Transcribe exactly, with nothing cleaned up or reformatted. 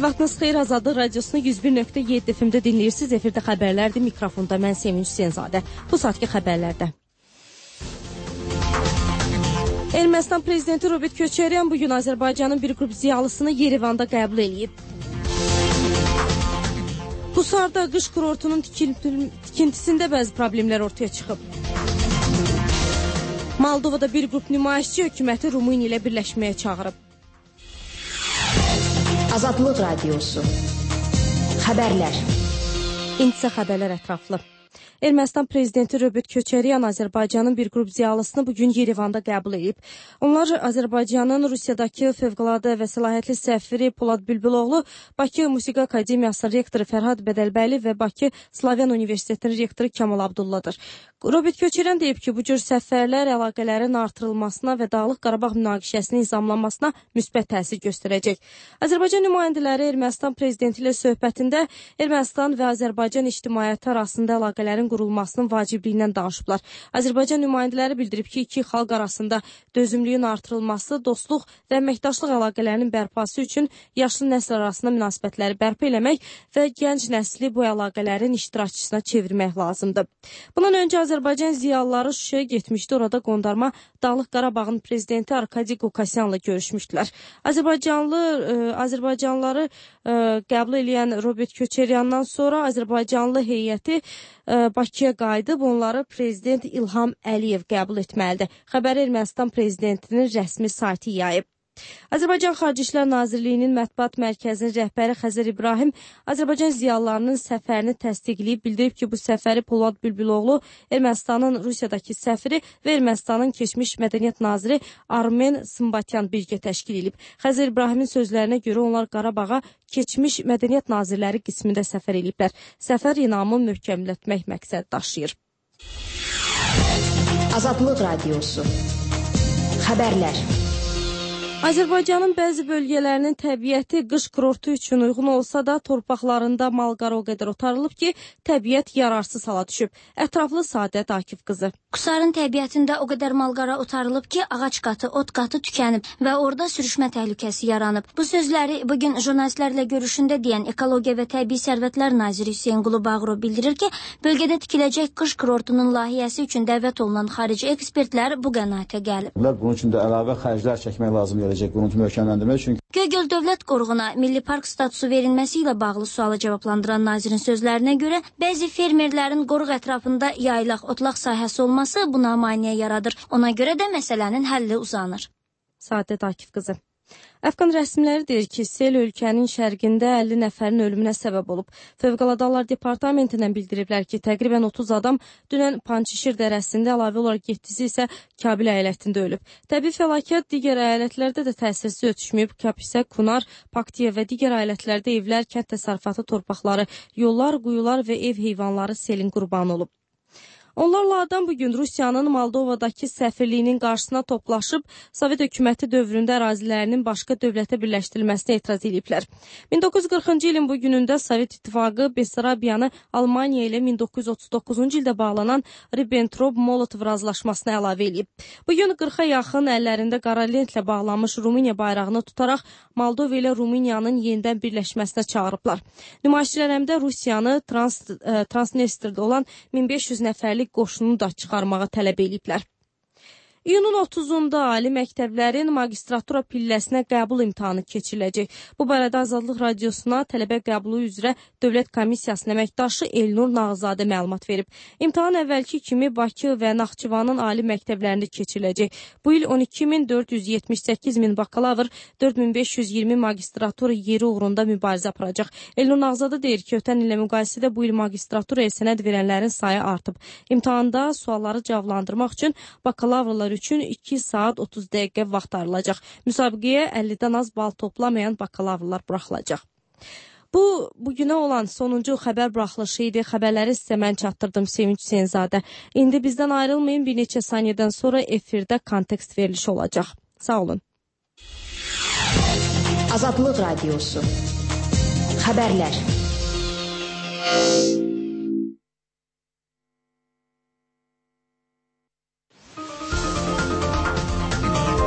Vaxtınız xeyir, Azadlıq Radiosunu yüz bir nöqtə yeddi F M-də dinləyirsiniz. Efirdə xəbərlərdir, mikrofonda mən Sevinç Hüseynzadə. Bu saatki xəbərlərdə. Ermənistan prezidenti Robert Köçəryan bugün Azərbaycanın bir qrup ziyalısını Yerevanda qəbul edib. Qusarda qış kurortunun tikintisində bəzi problemlər ortaya çıxıb. Moldovada bir qrup nümayişçi hökuməti Rumıniya ilə birləşməyə çağırıb. Azadlıq Radiosu. Xəbərlər. İntisə xəbərlər ətraflı. Ermənistan prezidenti Robert Köçəryan Azərbaycanın bir qrup ziyalısını bugün Yerevanda qəbul edib. Onlar Azərbaycanın Rusiyadakı fövqəladə və səlahiyyətli səfiri Polad Bülbüloğlu, Bakı Musiqi Akademiyasının rektoru Fərhad Bədəlbəyli və Bakı Slavyan Universitetinin rektoru Kamal Abdulladır. Robert Köçəryan deyib ki, bu cür səfərlər əlaqələrin artırılmasına və Dağlıq Qarabağ münaqişəsinin nizamlanmasına müsbət təsir göstərəcək. Azərbaycan nümayəndələri Ermənistan prezidenti ilə söhbətində Ermənistan və Azərbaycan ictimaiyyəti arasında əlaqələrin qurulmasının vacibliyindən danışıblar. Azərbaycan nümayəndələri bildirib ki, iki xalq arasında dözümlüyün artırılması, dostluq və əməkdaşlıq əlaqələrinin bərpası üçün yaşlı nəsil arasında münasibətləri bərpa eləmək və gənc nəsli bu əlaqələrin iştirakçısına çevirmək lazımdır. Bundan öncə Azərbaycan ziyalıları Şuşaya getmişdi. Orada qondarma Dağlıq Qarabağın prezidenti Arkadi Qukasyanla görüşmüşdülər. Azərbaycanlı ə, Azərbaycanlıları ə, qəbul edən Robert Köçəryandan sonra Azərbaycanlı heyəti ə, Bakıya qayıdıb, onları prezident İlham Əliyev qəbul etməlidir. Xəbəri Ermənistan prezidentinin rəsmi sayti yayıb. Azərbaycan Xarici İşlər Nazirliyinin mətbuat mərkəzinin rəhbəri Xəzər İbrahim Azərbaycan ziyalılarının səfərini təsdiqləyib, bildirib ki, bu səfəri Polad Bülbüloğlu, Ermənistanın Rusiyadakı səfiri və Ermənistanın keçmiş mədəniyyət naziri Armen Sımbatyan birgə təşkil edib. Xəzər İbrahimin sözlərinə görə onlar Qarabağa keçmiş mədəniyyət nazirləri qismində səfər ediblər. Səfər inamı möhkəmlətmək məqsəd daşıyır. Azadlıq Radiosu. Xəbərlər. Azərbaycanın bəzi bölgələrinin təbiəti qış kurortu üçün uyğun olsa da torpaqlarında mal-qara o qədər otarılıb ki, təbiət yararsız hala düşüb. Ətraflı Saadət Akif qızı. Qusarın təbiətində o qədər mal-qara otarılıb ki, ağac qatı, ot qatı tükənib və orada sürüşmə təhlükəsi yaranıb. Bu sözləri bugün jurnalistlərlə görüşündə deyən Ekologiya və Təbii Sərvətlər naziri Hüseyn Qulu Bağırov bildirir ki, bölgədə tikiləcək qış kurortunun layihəsi üçün dəvət olunan xarici ekspertlər bu qənaətə gəlib. Bunun üçün də əlavə xərclər çəkmək lazım gələcək quruntu möhkəmləndirmək üçün. Göygöl Dövlət Qoruğuna milli park statusu verilməsi ilə bağlı sualı cavablandıran nazirin sözlərinə görə, bəzi fermerlərin qoruq ətrafında yaylaq, otlaq sahəsi olması buna maneə yaradır. Ona görə də məsələnin həlli uzanır. Saadət Akif qızı. Əfqan rəsmiləri deyir ki, sel ölkənin şərqində əlli nəfərin ölümünə səbəb olub. Fövqəladə Hallar Departamentindən bildiriblər ki, təqribən otuz adam dünən Pançişir dərəsində, əlavə olaraq yeddisi isə Kabil əyalətində ölüb. Təbii fəlakət digər əyalətlərdə də təsirsiz ötüşməyib. Kapisə, Kunar, Paktiya və digər əyalətlərdə evlər, kənd təsərrüfatı torpaqları, yollar, quyular və ev heyvanları selin qurbanı olub. Onlarla adam bugün Rusiyanın Moldovadakı səfirliyinin qarşısına toplaşıb, Sovet hökuməti dövründə ərazilərinin başqa dövlətə birləşdirilməsinə etiraz ediblər. min doqquz yüz qırxıncı ilin bu günündə Sovet İttifaqı Besarabiyanı Almaniya ilə min doqquz yüz otuz doqquzuncu ildə bağlanan Ribbentrop-Molotov razılaşmasına əlavə edib. Bugün qırxa yaxın əllərində qara lentlə bağlanmış Rumıniya bayrağını tutaraq Moldova ilə Rumıniyanın yenidən birləşməsinə çağırıblar. Nümayişçilər həm də Rusiyanı Trans, e, Transnistrdə olan min beş yüz nəfərlik qoşunu da çıxarmağa tələb ediblər. İyunun otuzunda ali məktəblərin magistratura pilləsinə qəbul imtahanı keçiriləcək. Bu barədə Azadlıq Radiosuna tələbə qəbulu üzrə Dövlət Komissiyasının əməkdaşı Elnur Nağzadə məlumat verib. İmtahan əvvəlki kimi Bakı və Naxçıvanın ali məktəblərində keçiriləcək. Bu il on iki min dörd yüz yetmiş səkkiz min bakalavr, dörd min beş yüz iyirmi magistratura yeri uğrunda mübarizə aparacaq. Elnur Nağzadə deyir ki, ötən illə müqayisədə bu il magistraturaya sənəd verənlərin sayı artıb. İmtahanda sualları cavablandırmaq üçün bakalavrlar üçün iki saat otuz dəqiqə vaxt ayrılacaq. Müsabiqəyə əllidən az bal toplamayan bakalavrlar buraxılacaq. Bu, bugünə olan sonuncu xəbər buraxılışı idi. Xəbərləri sizə mən çatdırdım Sevinç Hüseynzadə. İndi bizdən ayrılmayın, bir neçə saniyədən sonra efirdə kontekst verilişi olacaq. Sağ olun. Azadlıq Radiosu. Xəbərlər.